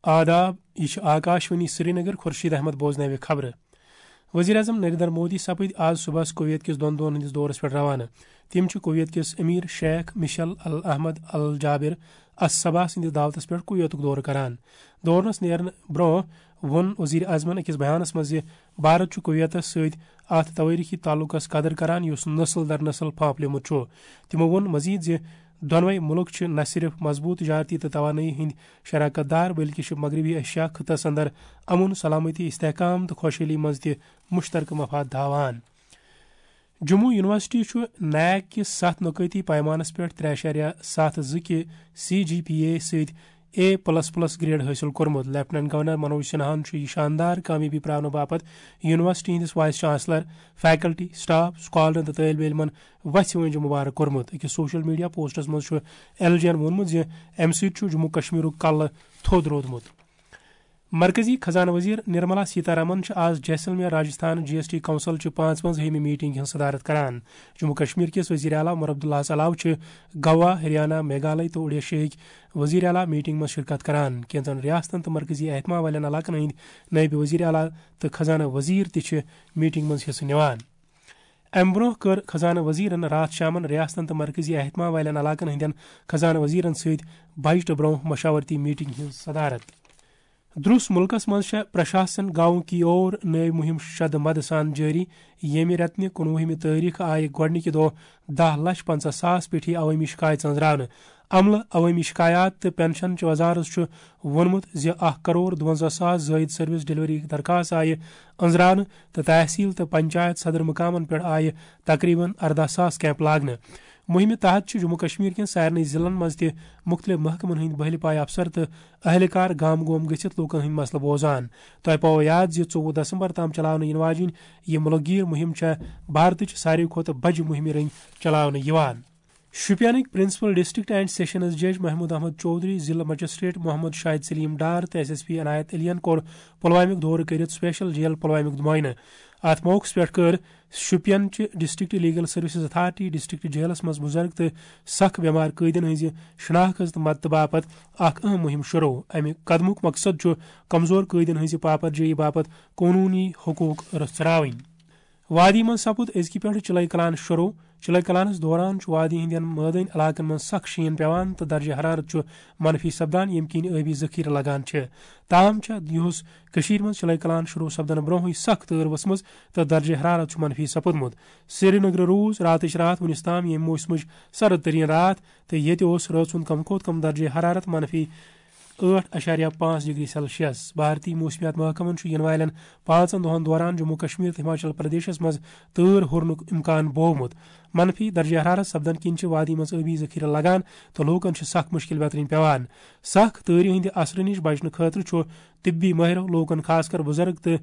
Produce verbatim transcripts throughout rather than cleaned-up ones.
آداب، یہِ چھِ آکاشوانی سرینگر، خورشید احمد بوزناوِ خبرٕ۔ وزیر اعظم نریندر مودی سپٕدۍ آز صبحس کویت کِس دۄن دۄہن ہٕنٛدِس دورس پٮ۪ٹھ روانہٕ۔ تِم چھِ کویت کِس امیر شیخ مشل ال احمد ال جابر الصباح سٕنٛدِس دعوتس پٮ۪ٹھ کویتُک دورٕ کران۔ دورنس نیرنہٕ برونٛہہ ووٚن وزیر اعظمن أکِس بیانس منٛز زِ بھارت چھُ کویتس سۭتۍ اتھ توٲریخی تعلقس قدر کران، یُس نسل در نسل پھانپلیومُت چھُ۔ تِمو ووٚن مزید زِ دۄنوَے مُلک چھِ نہ صرف مضبوٗط تجارتی تہٕ توانٲیی ہٕنٛدۍ شراکت دار، بلکہِ چھِ مغربی ایشیا خطس اندر امن، سلامتی، استحکام تہٕ خۄشحٲلی منٛز تہِ مشترکہٕ مفاد تھاوان۔ جموں یونیورسٹی چھُ نیک کِس ستھ نکٲتی پیمانس پٮ۪ٹھ ترٛےٚ اعشاریہ ستھ زٕ کہِ سی جی پی اے سۭتۍ اے پلس پلس گریڈ حٲصِل کوٚرمُت۔ لیفٹیننٹ گورنر منوج سنہاہن چھُ یہِ شاندار کامیٲبی پراونہٕ باپتھ یونیورسٹی ہٕنٛدِس وائس چانسلر، فیکلٹی، سٹاف، سکالرن تہٕ طٲلبِ علمن وژھِ وٲنٛجہِ مبارک کوٚرمُت۔ أکِس سوشل میڈیا پوسٹس منٛز چھُ ایل جی ین ووٚنمُت زِ امہِ سۭتۍ چھُ جموں کشمیرُک کلہٕ تھوٚد روٗدمُت۔ مرکزی خزانہٕ وزیر نرملا سیتارامن چھِ آز جیسلمیر، راجستھان، جی ایس ٹی کونسل چہِ پانٛژوَنزاہمہِ میٹنگ ہٕنٛز صدارت کران۔ جموں کشمیر کِس وزیر اعلیٰ عمر عبداللہس علاوٕ چھِ گوا، ہریانہ، میگھالیہ تہٕ اوڈیشہٕکۍ وزیر اعلیٰ میٹنگ منٛز شرکت کران۔ کینٛژن ریاستن تہٕ مرکزی اہتمام والٮ۪ن علاقن ہٕنٛدۍ نٲیِب وزیر اعلیٰ تہٕ خزانہٕ وزیر تہِ چھِ میٹنگ منٛز حصہٕ نِوان۔ امہِ برونٛہہ کٔر خزانہٕ وزیرن راتھ شامن ریاستن تہٕ مرکزی اہتمام والٮ۪ن علاقن ہٕنٛدٮ۪ن خزانہٕ وزیرن سۭتۍ بجٹہٕ برونٛہہ مشاورتی میٹنگ ہٕنٛز صدارت۔ درُس مُلکس منٛز چھےٚ پرشاسن گاؤں کی اور نٲوۍ مُہِم شدٕ مدٕ سان جٲری، ییٚمہِ رٮ۪تہٕ نہِ کُنوُہمہِ تٲریخ آیہِ گۄڈٕنِکہِ دۄہ دَہ لچھ پنٛژاہ ساس پیٹھی عوٲمی شکایت ژٔنٛزراونہٕ۔ عملہٕ، عوٲمی شکایات تہٕ پنشن چہِ وزارت چھُ ووٚنمُت زِ اکھ کرور دُوَنزاہ ساس زٲیِد سروس ڈلیوری درخاست آیہِ أنٛزراونہٕ تہٕ تحصیل تہٕ پنچایت صدر مقامن پٮ۪ٹھ آیہِ تقریباً ارداہ ساس کیمپ لاگنہٕ۔ مُہِمہِ تحت چھِ جموں کشمیر کٮ۪ن سارنٕے ضلعن منٛز تہِ مُختٔلِف محکمن ہٕنٛدۍ بٔہلہِ پایہِ افسر تہٕ اہلکار گام گوم گٔژھِتھ لوٗکن ہٕنٛدۍ مسلہٕ بوزان۔ تۄہہِ پاوو یاد زِ ژوٚوُہ دسمبر تام چلاونہٕ یِنہٕ واجیٚنۍ یہِ مُلک گیٖر مُہِم چھےٚ بھارتٕچ ساروٕے کھۄتہٕ بجہِ مُہِمہِ رٔنٛگۍ چلاونہٕ یِوان۔ شوپینٕکۍ پرنسپل ڈسٹرکٹ اینڈ سیشنز جج محمود احمد چودھری، ضلع مجسٹریٹ محمد شاہد سلیم ڈار تہٕ ایس ایس پی عنایت علیَن کوٚر پلوامیُک دورٕ کٔرِتھ سپیشل جیل پلوامیُک معائنہٕ۔ اتھ موقعس پٮ۪ٹھ کٔر شوپین چہِ district legal services authority district جیلس منٛز بُزرگ تہٕ سخ بٮ۪مار قٲدین ہٕنٛزِ شناخت تہٕ مدتہٕ باپتھ اکھ اہم مُہِم شروع۔ امہِ قدمُک مقصد چھُ کمزور قٲدین ہٕنٛزِ پاپرجٲیی باپتھ قونوٗنی حقوق رژھراوٕنۍ۔ وادی منٛز سپُد أزکہِ پٮ۪ٹھٕ چِلَے کلان شروع۔ چِلَے کلانَس دوران چھُ وادی ہٕنٛدٮ۪ن مٲدٲنۍ علاقن منٛز سخ شیٖن پٮ۪وان تہٕ درجہ حرارت چھُ منفی سپدان، ییٚمہِ کِنۍ ٲبی ذخیرٕ لگان چھِ۔ تاہم چھےٚ یُہُس کٔشیٖرِ منٛز چِلَے کلان شروع سپدنہٕ برونٛہٕے سخ تۭر ؤژھمٕژ تہٕ درجہ حرارت چھُ منفی سپُدمُت۔ سرینگرٕ روٗز راتٕچ راتھ وُنِس تام ییٚمہِ موسمٕچ سرد ترین راتھ تہٕ ییٚتہِ اوس رٲژ ہُنٛد کم کھۄتہٕ کم درجہ حرارت منفی ٲٹھ اعشاریہ پانٛژھ ڈگری سیلسیس۔ بھارتی موسمیات محکمن چھُ یِنہٕ والٮ۪ن پانٛژن دۄہن دوران جموں کشمیر تہٕ ہماچل پردیشس منٛز تۭر ہُرنُک امکان بوومُت۔ منفی درجہ حرارت سپدن کِنۍ چھِ وادی منٛز ٲبی ذخیرٕ لگان تہٕ لوٗکن چھِ سخ مُشکِل بیترِنۍ پٮ۪وان۔ سخ تۭرِ ہٕنٛدِ اثرٕ نِش بچنہٕ خٲطرٕ چھُ طبی مٲہرو لوٗکن، خاص کر بُزرگ تہٕ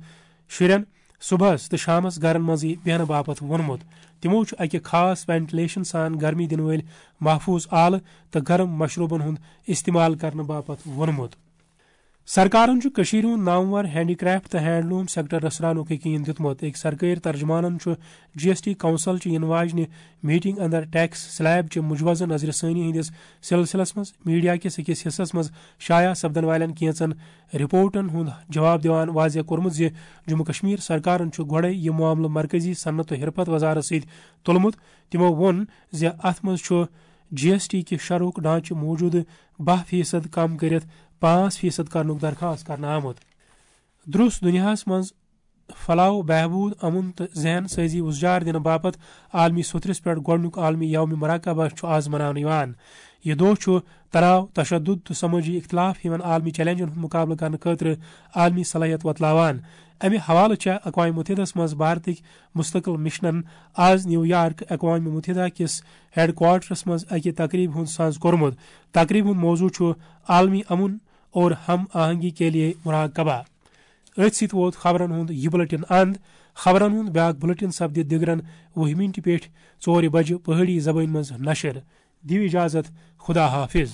شُرٮ۪ن، صبحس تہٕ شامس گرن منٛزٕے بیہنہٕ باپتھ ووٚنمُت۔ تِمو چھُ اکہِ خاص وینٹیلیشن سان گرمی دِنہٕ وٲلۍ محفوظ آلہٕ تہٕ گرم مشروبن ہُنٛد استعمال کرنہٕ باپتھ ووٚنمُت۔ سرکارن چھُ کٔشیٖرِ ہُنٛد نامور ہینڈی کرافٹ تہٕ ہینڈلوم سیکٹر رژھراونُک یقین دیُتمُت۔ أکۍ سرکٲرۍ ترجمانن چھُ جی ایس ٹی کونسل چہِ یِنہٕ واجنہِ میٹنگ اندر ٹیکس سلیب چہِ مجوزہ نظر ثانی ہٕنٛدِس سلسلس منٛز میڈیا کِس أکِس حصس منٛز شایع سپدن والٮ۪ن کینژن رپورٹن ہُنٛد جواب دِوان واضح کوٚرمُت زِ جموں کشمیر سرکارن چھُ گۄڈَے یہِ معاملہٕ مرکزی صنعت و حرفت وزارت سۭتۍ تُلمُت۔ تِمو ووٚن زِ اتھ منٛز چھُ جی ایس ٹی کہِ شرحُک ڈھانچہٕ موٗجوٗدٕ باہ فیصد کم کٔرِتھ پانٛژھ فیصد کرنُک درخواست کرنہٕ آمُت۔ درُس دُنیاہَس منٛز پھۄلاو بہبود، امن تہٕ ذہن سٲزی اُزجار دِنہٕ باپتھ عالمی سوٚتھرِس پٮ۪ٹھ گۄڈٕنیُک عالمی یوم مراقبہ چھُ آز مناونہٕ یِوان۔ یہِ دۄہ چھُ تناو، تشدد تہٕ سمٲجی اختلاف ہِوٮ۪ن عالمی چیلنجن ہُنٛد مقابلہٕ کرنہٕ خٲطرٕ عالمی صلٲحیت وۄتلاوان۔ امہِ حوالہٕ چھےٚ اقوام متحدس منٛز بھارتٕکۍ مستقل مشنن آز نیو یارک اقوام متحدہ کِس ہیڈ کوارٹرس منٛز اکہِ تقریبہِ ہُنٛد ساز کوٚرمُت۔ تقریبہِ ہُنٛد موضوع چھُ عالمی امن اور ہم آہنگی کے لیے مراقبہ۔ أتھۍ سۭتۍ ووت خبرن ہُنٛد یہِ بُلٹن اند۔ خبرن ہُنٛد بیاکھ بُلٹن سپدِ دِگرن وُہہِ مِنٹہِ پٮ۪ٹھ ژورِ بجہِ پہٲڑی زبٲنۍ منٛز نشر۔ دِیِو اجازت، خدا حافظ۔